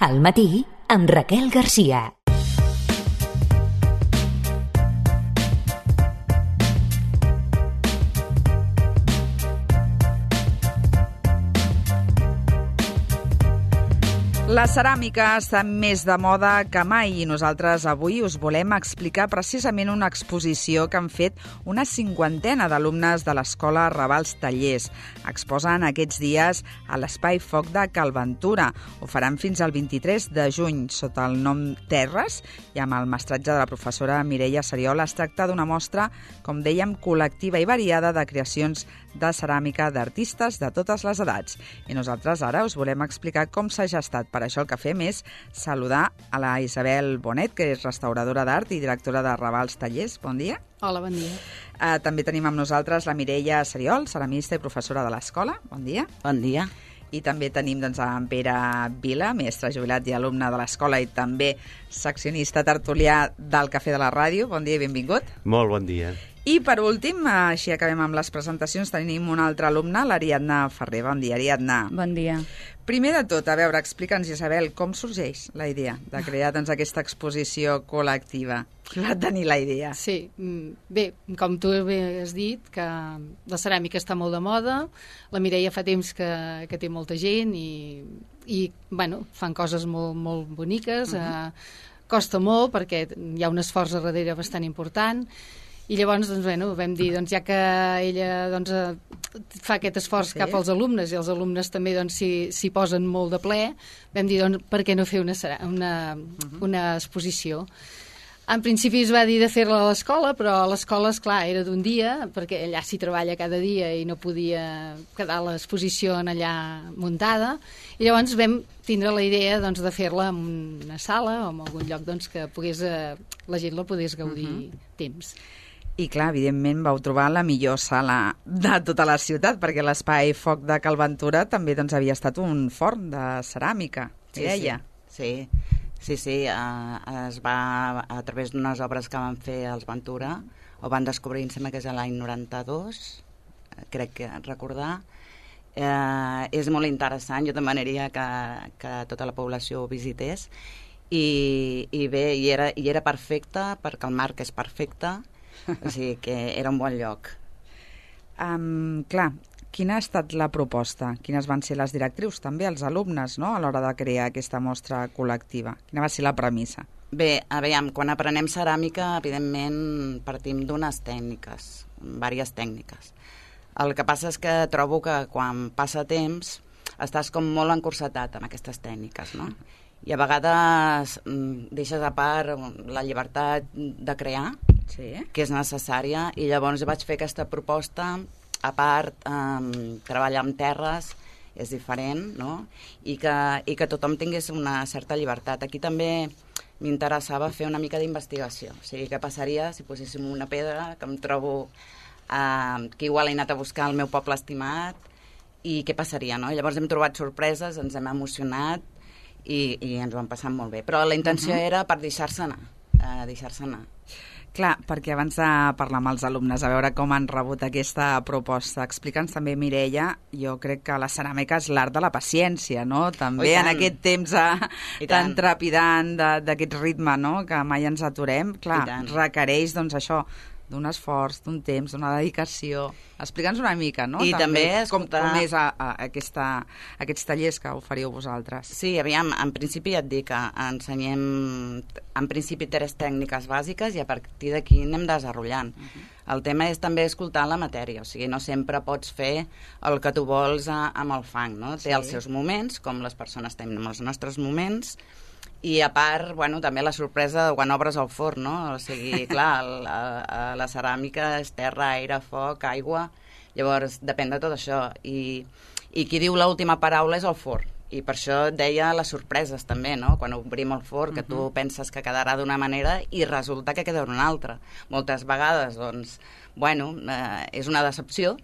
Al matí, amb Raquel Garcia. La ceràmica està més de moda que mai i nosaltres avui us volem explicar precisament una exposició que han fet una cinquantena d'alumnes de l'Escola Ravals Tallers. Exposen aquests dies a l'Espai Foc de Cal Ventura. Ho faran fins al 23 de juny sota el nom Terres i amb el mestratge de la professora Mireia Seriol. Es tracta d'una mostra, com dèiem, col·lectiva i variada de creacions de ceràmica d'artistes de totes les edats. I nosaltres ara us volem explicar com s'ha gestat. Per això el que fem és saludar a la Isabel Bonet, que és restauradora d'art i directora de Ravals Tallers. Bon dia. Hola, bon dia. També tenim amb nosaltres la Mireia Seriol, ceramista i professora de l'escola. Bon dia. Bon dia. I també tenim en Pere Vila, mestre jubilat i alumne de l'escola i també seccionista tertulià del Cafè de la Ràdio. Bon dia i benvingut. Molt bon dia. I per últim, així acabem amb les presentacions, tenim una altra alumna, l'Ariadna Ferrer. Bon dia, Ariadna. Bon dia. Primer de tot, a veure, explica'ns, Isabel, com sorgeix la idea de crear aquesta exposició col·lectiva? Qui va tenir la idea? Sí, bé, com tu bé has dit, que la ceràmica està molt de moda, la Mireia fa temps que té molta gent i bueno, fan coses molt, molt boniques, costa molt perquè hi ha un esforç a darrere bastant important. I llavors, doncs, bueno, vam dir, doncs, ja que ella fa aquest esforç cap als alumnes i els alumnes també s'hi posen molt de ple, vam dir, doncs, per què no fer una exposició? En principi es va dir de fer-la a l'escola, però a l'escola, esclar, era d'un dia, perquè allà s'hi treballa cada dia i no podia quedar l'exposició allà muntada, i llavors vam tindre la idea de fer-la en una sala o en algun lloc que la gent la pogués gaudir temps. I clar, evidentment vau trobar la millor sala de tota la ciutat, perquè l'Espai Foc de Cal Ventura també havia estat un forn de ceràmica, Mireia. Sí. Es va, a través d'unes obres que van fer els Ventura, ho van descobrir, em sembla que és l'any 92, crec que recordar. És molt interessant, jo demanaria que tota la població ho visités, i bé, i era perfecte, perquè el marc és perfecte, o sigui que era un bon lloc. Clar, quina ha estat la proposta? Quines van ser les directrius, també, els alumnes, no?, a l'hora de crear aquesta mostra col·lectiva? Quina va ser la premissa? Bé, aviam, quan aprenem ceràmica, evidentment partim d'unes tècniques, diverses tècniques. El que passa és que trobo que quan passa temps estàs com molt encursetat en aquestes tècniques, no? I a vegades deixes a part la llibertat de crear, que és necessària, i llavors vaig fer aquesta proposta. A part, treballar amb terres és diferent, no? I que tothom tingués una certa llibertat. Aquí també m'interessava fer una mica d'investigació. O sigui, què passaria si poséssim una pedra que em trobo que igual he anat a buscar al meu poble estimat, i què passaria, no? I llavors hem trobat sorpreses, ens hem emocionat i ens ho hem passat molt bé. Però la intenció era per deixar-se anar. Clar, perquè abans de parlar amb els alumnes, a veure com han rebut aquesta proposta, explica'ns també, Mireia, jo crec que la ceràmica és l'art de la paciència, no? També en aquest temps tan trepidant d'aquest ritme, no?, que mai ens aturem, clar, requereix, això, d'un esforç, d'un temps, d'una dedicació. Explica'ns una mica, no? I també com és aquests tallers que oferiu vosaltres. Sí, aviam, en principi et dic que ensenyem, en principi, 3 tècniques bàsiques i a partir d'aquí anem desenvolupant. El tema és també escoltar la matèria, o sigui, no sempre pots fer el que tu vols amb el fang, no? Té els seus moments, com les persones tenim els nostres moments, i a part, bueno, també la sorpresa de quan obres el forn, no? O sigui, clar, la ceràmica és terra, aire, foc, aigua, llavors depèn de tot això, i qui diu l'última paraula és el forn, i per això et deia les sorpreses també, no? Quan obrim el forn, que tu penses que quedarà d'una manera i resulta que queda d'una altra. Moltes vegades, doncs, bueno, és una decepció,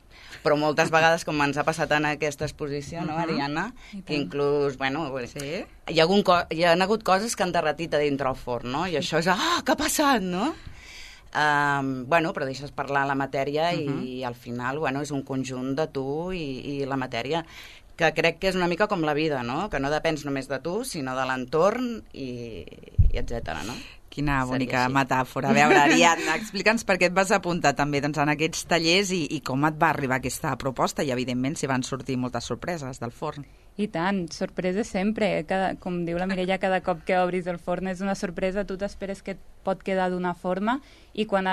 però moltes vegades, com ens ha passat en aquesta exposició, no, Ariadna, que inclús, bueno, hi ha hagut coses que han derretit a dintre el forn, no? I això és, què ha passat, no? Bueno, però deixes parlar la matèria i al final, bueno, és un conjunt de tu i la matèria. que crec que és una mica com la vida, no? Que no depens només de tu, sinó de l'entorn i etcètera, no? Quina bonica metàfora. A veure, Ariadna, explica'ns per què et vas apuntar també doncs, en aquests tallers i com et va arribar aquesta proposta i, evidentment, si van sortir moltes sorpreses del forn. I tant, sorpreses sempre. Com diu la Mireia, cada cop que obris el forn és una sorpresa, tu t'esperes que et pot quedar d'una forma i quan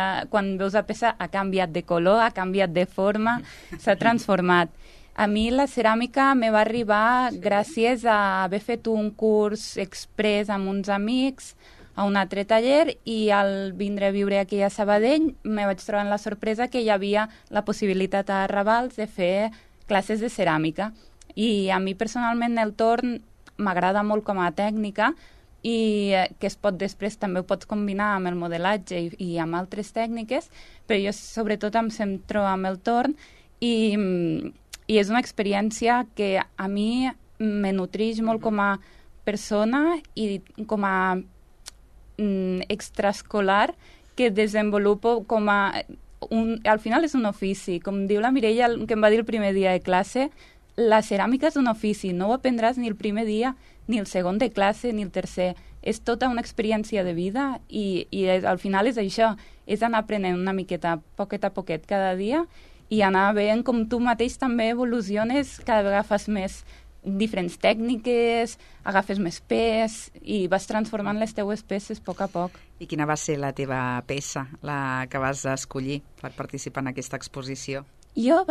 veus la peça ha canviat de color, ha canviat de forma, s'ha transformat. A mi la ceràmica me va arribar gràcies a haver fet un curs express amb uns amics a un altre taller i al vindre a viure aquí a Sabadell me vaig trobar amb la sorpresa que hi havia la possibilitat a Ravals de fer classes de ceràmica. I a mi personalment el torn m'agrada molt com a tècnica i que es pot després també ho pots combinar amb el modelatge i amb altres tècniques, però jo sobretot em centro amb el torn i és una experiència que a mi me nutreix molt com a persona i com a extraescolar que desenvolupo com a... al final és un ofici. Com diu la Mireia, que em va dir el primer dia de classe, la ceràmica és un ofici, no ho aprendràs ni el primer dia, ni el segon de classe, ni el tercer. És tota una experiència de vida i al final és això, és anar aprenent una miqueta, poquet a poquet, cada dia i anar veient com tu mateix també evoluciones, cada vegada fas més diferents tècniques, agafes més pes i vas transformant les teues peces a poc. I quina va ser la teva peça, la que vas escollir per participar en aquesta exposició? Jo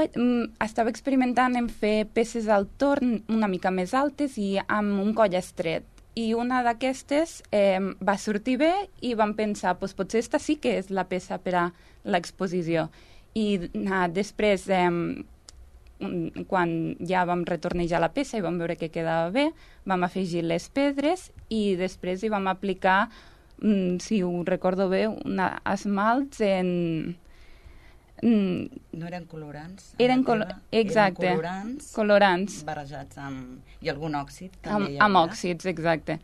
estava experimentant en fer peces al torn una mica més altes i amb un coll estret. I una d'aquestes va sortir bé i vam pensar, doncs potser esta sí que és la peça per a l'exposició. I després... quan ja vam retornejar la peça i vam veure que quedava bé, vam afegir les pedres i després hi vam aplicar, si ho recordo bé, esmalts en... No eren colorants? Exacte. Eren colorants barrejats amb... I algun òxid també amb òxids, exacte.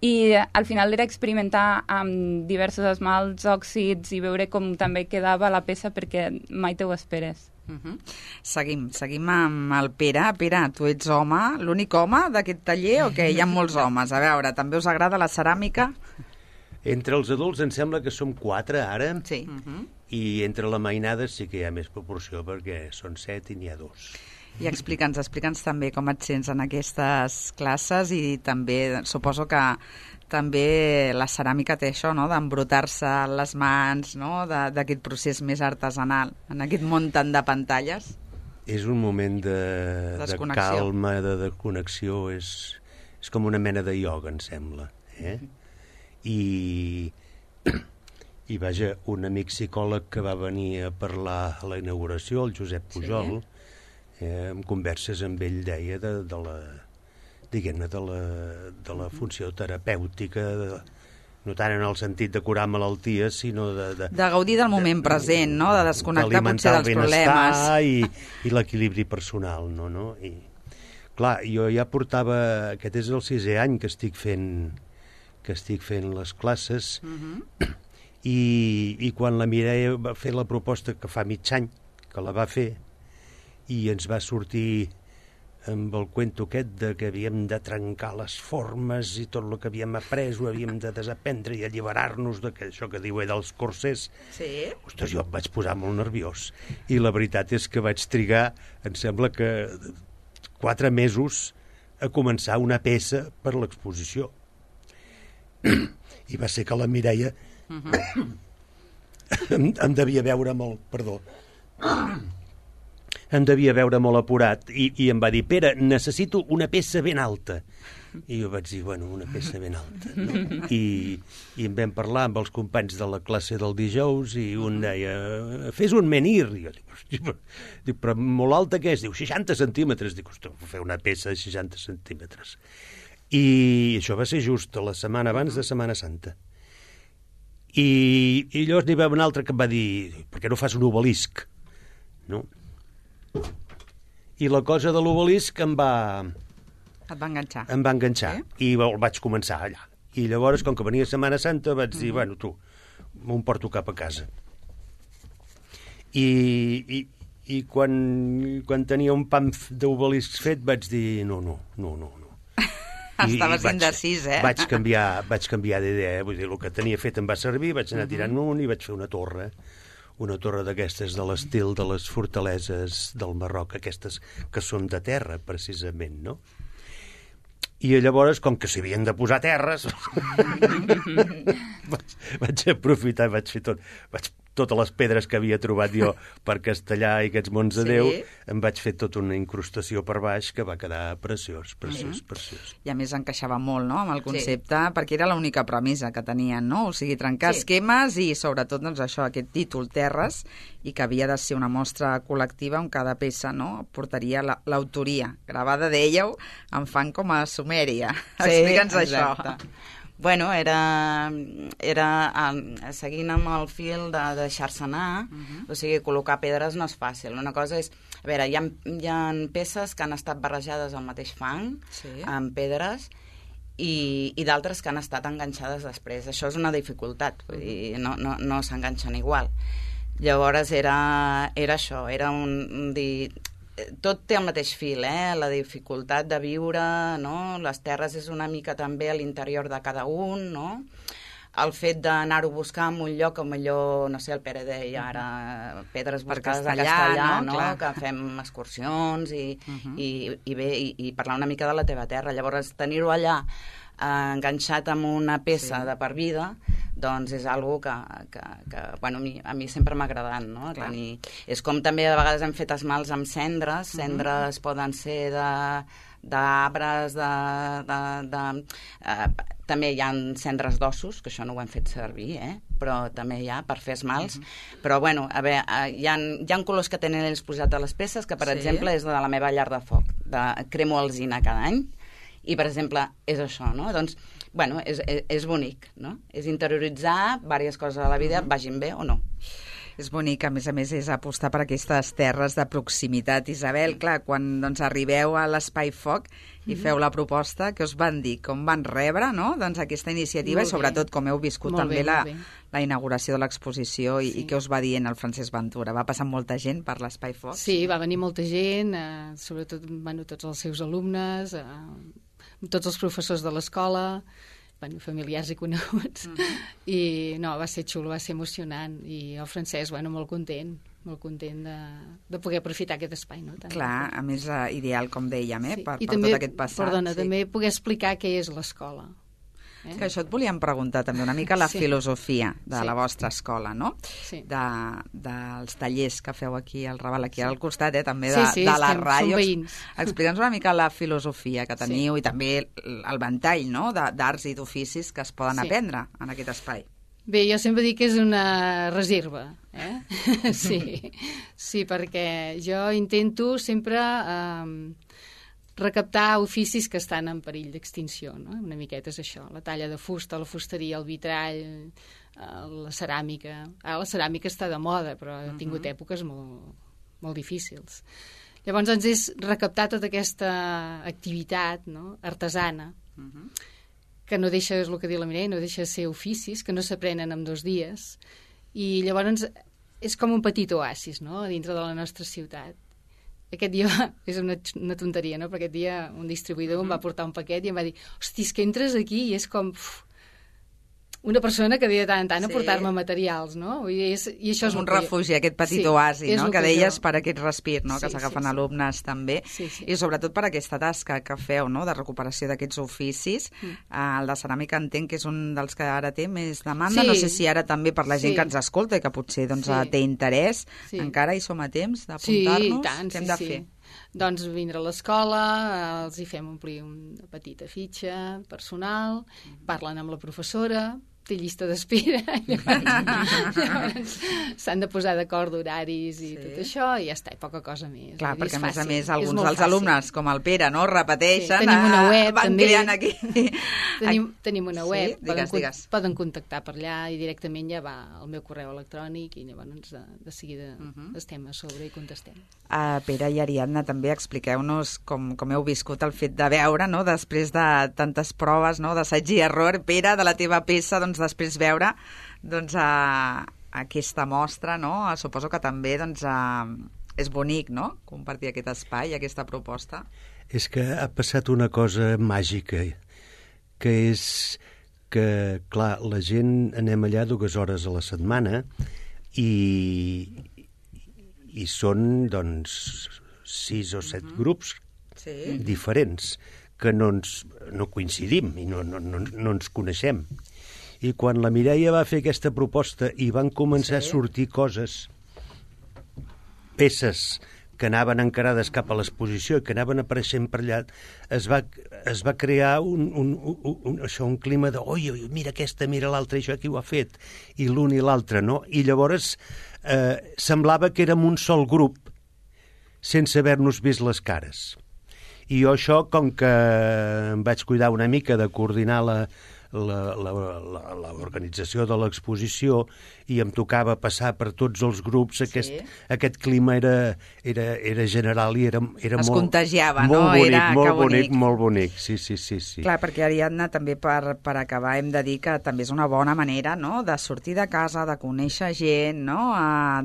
I al final era experimentar amb diversos esmalts, òxids i veure com també quedava la peça perquè mai te ho esperes. Seguim amb el Pere. Pere, tu ets home, l'únic home d'aquest taller o què? Hi ha molts homes. A veure, també us agrada la ceràmica? Entre els adults em sembla que som 4 ara. Sí. I entre la mainada sí que hi ha més proporció perquè són 7 i n'hi ha 2. I explica'ns també com et sents en aquestes classes i també suposo que també la ceràmica té això, no?, d'embrutar-se les mans, no?, d'aquest procés més artesanal, en aquest món tant de pantalles. És un moment de calma, de desconnexió, és com una mena de ioga, em sembla. I vaja, un amic psicòleg que va venir a parlar a la inauguració, el Josep Pujol, en converses amb ell deia de la funció terapèutica, no tant en el sentit de curar malalties, sinó de gaudir del moment present, no?, de desconnectar potser dels problemes. I l'equilibri personal, no? I, clar, jo ja portava... Aquest és el 6è any que estic fent les classes i quan la Mireia va fer la proposta, que fa mig any que la va fer, i ens va sortir amb el cuento aquest de que havíem de trencar les formes i tot el que havíem après ho havíem de desaprendre i alliberar-nos d'això que diu dels corsers. Sí. Ostres, jo em vaig posar molt nerviós. I la veritat és que vaig trigar, em sembla que 4 mesos a començar una peça per l'exposició. I va ser que la Mireia em devia veure molt... Perdó. Em devia veure molt apurat i em va dir, Pere, necessito una peça ben alta. I jo vaig dir, bueno, una peça ben alta. No? I en vam parlar amb els companys de la classe del dijous i un deia, fes un menhir. I jo dic, però molt alta què és? Diu, 60 centímetres. Dic, ostres, fer una peça de 60 centímetres. I això va ser just la setmana abans de Setmana Santa. I llavors n'hi va un altre que em va dir, per què no fas un obelisc? No? I la cosa de l'obelisc em va... Et va enganxar. Em va enganxar, i el vaig començar allà. I llavors, com que venia Setmana Santa, vaig dir, bueno, tu, m'ho porto cap a casa. I I quan tenia un pam d'obeliscs fet vaig dir no. Estaves indecís, eh? Vaig canviar d'idea, vull dir, el que tenia fet em va servir, vaig anar tirant un i vaig fer una torre d'aquestes de l'estil de les fortaleses del Marroc, aquestes que són de terra, precisament, no? I llavors, com que s'hi havien de posar terres, vaig aprofitar, vaig fer totes les pedres que havia trobat jo per Castellar i aquests mons de Déu, em vaig fer tota una incrustació per baix que va quedar preciós. I a més encaixava molt, no?, amb el concepte, perquè era l'única premissa que tenien, no? O sigui, trencar esquemes i, sobretot, doncs això, aquest títol, Terres, i que havia de ser una mostra col·lectiva on cada peça, no?, portaria l'autoria. Gravada, dèieu, en fan com a Sumèria. Explica'ns això. Bueno, era seguint amb el fil de deixar-se anar, o sigui, col·locar pedres no és fàcil. Una cosa és, a veure, hi ha peces que han estat barrejades al mateix fang, amb pedres, i d'altres que han estat enganxades després. Això és una dificultat, vull dir, no s'enganxen igual. Llavors era això, era un dir... Tot té el mateix fil, la dificultat de viure, no? Les terres és una mica també a l'interior de cada un, no? El fet d'anar-ho a buscar en un lloc, com millor, no sé, el Pere deia ara, pedres buscades a Castellà, no? Que fem excursions i parlar una mica de la teva terra. Llavors, tenir-ho allà enganxat amb una peça de per vida, doncs és algo que bueno, a mi sempre m'ha agradat, no? És com també a vegades hem fet esmalts amb cendres. Cendres poden ser d'arbres, també hi ha cendres d'ossos, que això no ho hem fet servir, però també hi ha per fer esmalts. Però, bueno, a veure, hi ha colors que tenen ells posat a les peces, que, per exemple, és de la meva llar de foc. Cremo alzina cada any, i, per exemple, és això, no? Doncs, bueno, és bonic, no? És interioritzar diverses coses a la vida, vagin bé o no. És bonic, a més, és apostar per aquestes terres de proximitat. Isabel, clar, quan arribeu a l'Espai Foc i feu la proposta, què us van dir? Com van rebre, no?, doncs aquesta iniciativa i, sobretot, com heu viscut també la inauguració de l'exposició i què us va dient el Francesc Ventura? Va passar molta gent per l'Espai Foc? Sí, va venir molta gent, sobretot tots els seus alumnes, tots els professors de l'escola, familiars i coneguts, i no, va ser xulo, va ser emocionant, i el Francesc, molt content de poder aprofitar aquest espai, no? Clar, a més ideal, com dèiem, per tot aquest passat. Perdona, també poder explicar què és l'escola. Que això et volíem preguntar també una mica la filosofia de la vostra escola, no? Sí. Dels tallers que feu aquí al Raval, aquí al costat, també de la ràdio. Som veïns. Explica'ns una mica la filosofia que teniu i també el ventall, no?, d'arts i d'oficis que es poden aprendre en aquest espai. Bé, jo sempre dic que és una reserva, Sí, perquè jo intento sempre recaptar oficis que estan en perill d'extinció, no? Una miqueta és això, la talla de fusta, la fusteria, el vitrall, la ceràmica. Ara la ceràmica està de moda, però ha tingut èpoques molt difícils. Llavors, doncs, és recaptar tota aquesta activitat, no?, artesana, que no deixa, és el que diu la Mireia, no deixa de ser oficis, que no s'aprenen en 2 dies, i llavors és com un petit oasis, no?, dintre de la nostra ciutat. Aquest dia, és una tonteria, no?, però aquest dia un distribuïdor em va portar un paquet i em va dir, hosti, és que entres aquí i és com una persona que ve de tant en tant a portar-me materials, no? I això és un refugi, aquest petit oasi, no?, que deies per aquest respir, no?, que s'agafen alumnes també, i sobretot per aquesta tasca que feu, no?, de recuperació d'aquests oficis. El de ceràmica entenc que és un dels que ara té més demanda, no sé si ara també per la gent que ens escolta i que potser té interès, encara hi som a temps d'apuntar-nos? Què hem de fer? Doncs vindre a l'escola, els hi fem omplir una petita fitxa personal, parlen amb la professora, té llista d'espera, llavors s'han de posar d'acord d'horaris i tot això, i ja està, i poca cosa més. Clar, perquè a més alguns dels alumnes, com el Pere, no?, repeteixen, tenim una web, van creant aquí. Tenim una web, digues. Poden contactar per allà i directament ja va al meu correu electrònic i llavors de seguida estem a sobre i contestem. Pere i Ariadna, també expliqueu-nos com heu viscut el fet de veure, no?, després de tantes proves, no?, d'assaig i error, Pere, de la teva peça, doncs després veure aquesta mostra, no?, suposo que també és bonic, no?, compartir aquest espai, aquesta proposta. És que ha passat una cosa màgica, que és que, clar, la gent anem allà 2 hores a la setmana i són, doncs, 6 o 7 grups diferents que no coincidim i no ens coneixem. I quan la Mireia va fer aquesta proposta i van començar a sortir peces que anaven encarades cap a l'exposició i que anaven apareixent per allà, es va crear un clima de oi, mira aquesta, mira l'altra, això qui ho ha fet, i l'un i l'altre, no? I llavors semblava que érem un sol grup sense haver-nos vist les cares. I jo això, com que em vaig cuidar una mica de coordinar l'organització de l'exposició i em tocava passar per tots els grups, aquest clima era general i era es contagiava, molt no? bonic, molt bonic. Sí. Clar, perquè Ariadna, també per acabar hem de dir que també és una bona manera, no?, de sortir de casa, de conèixer gent, no?,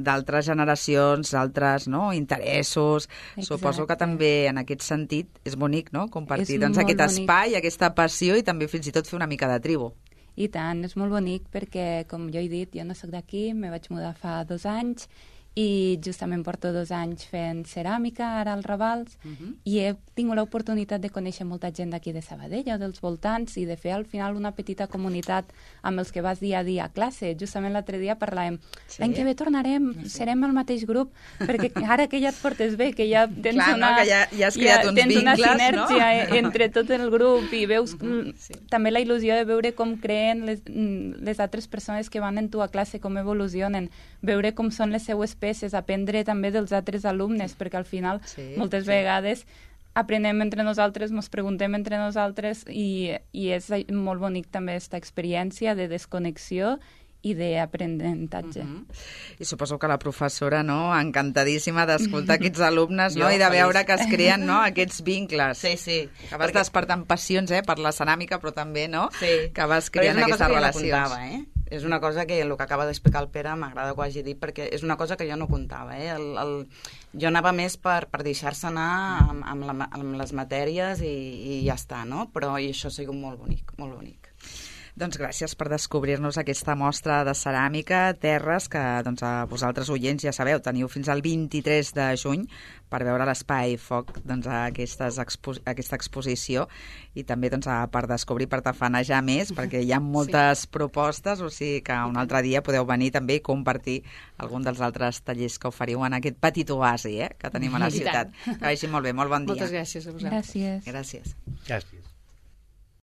d'altres generacions, d'altres, no?, interessos. Exacte. Suposo que també en aquest sentit és bonic, no?, compartir aquest espai, aquesta passió i també fins i tot fer una mica de tribu. I tant, és molt bonic perquè, com jo he dit, jo no sóc d'aquí, me vaig mudar fa 2 anys i justament porto 2 anys fent ceràmica ara als Ravals i he tingut l'oportunitat de conèixer molta gent d'aquí de Sabadell o dels voltants i de fer al final una petita comunitat amb els que vas dia a dia a classe. Justament l'altre dia parlàvem, l'any que ve tornarem, serem el mateix grup, perquè ara que ja et portes bé, que ja tens ja has creat uns vincles, una sinergia entre tot el grup i veus també la il·lusió de veure com creen les altres persones que van en tu a classe, com evolucionen, veure com són les seues peces, aprendre també dels altres alumnes, perquè al final moltes vegades aprenem entre nosaltres, ens preguntem entre nosaltres i és molt bonic també aquesta experiència de desconnexió i d'aprenentatge. I suposo que la professora, no?, encantadíssima d'escoltar aquests alumnes, no?, i de veure que es creen, no?, aquests vincles. Sí. Que vas despertant passions, per la ceràmica, però també, no?, que vas creant aquestes relacions. És una cosa que el que acaba d'explicar el Pere m'agrada que ho hagi dit, perquè és una cosa que jo no comptava. Jo anava més per deixar-se anar amb les matèries i ja està, no? Però això ha sigut molt bonic, molt bonic. Doncs gràcies per descobrir-nos aquesta mostra de ceràmica, Terres, que doncs, a vosaltres, oients, ja sabeu, teniu fins al 23 de juny per veure l'Espai Foc, doncs, aquesta exposició i també doncs, per descobrir, per tafanejar més, perquè hi ha moltes propostes, o sigui que un altre dia podeu venir també i compartir algun dels altres tallers que oferiu en aquest petit oasi que tenim a la ciutat. Que vagi molt bé, molt bon dia. Moltes gràcies a vosaltres. Gràcies. Gràcies. Gràcies.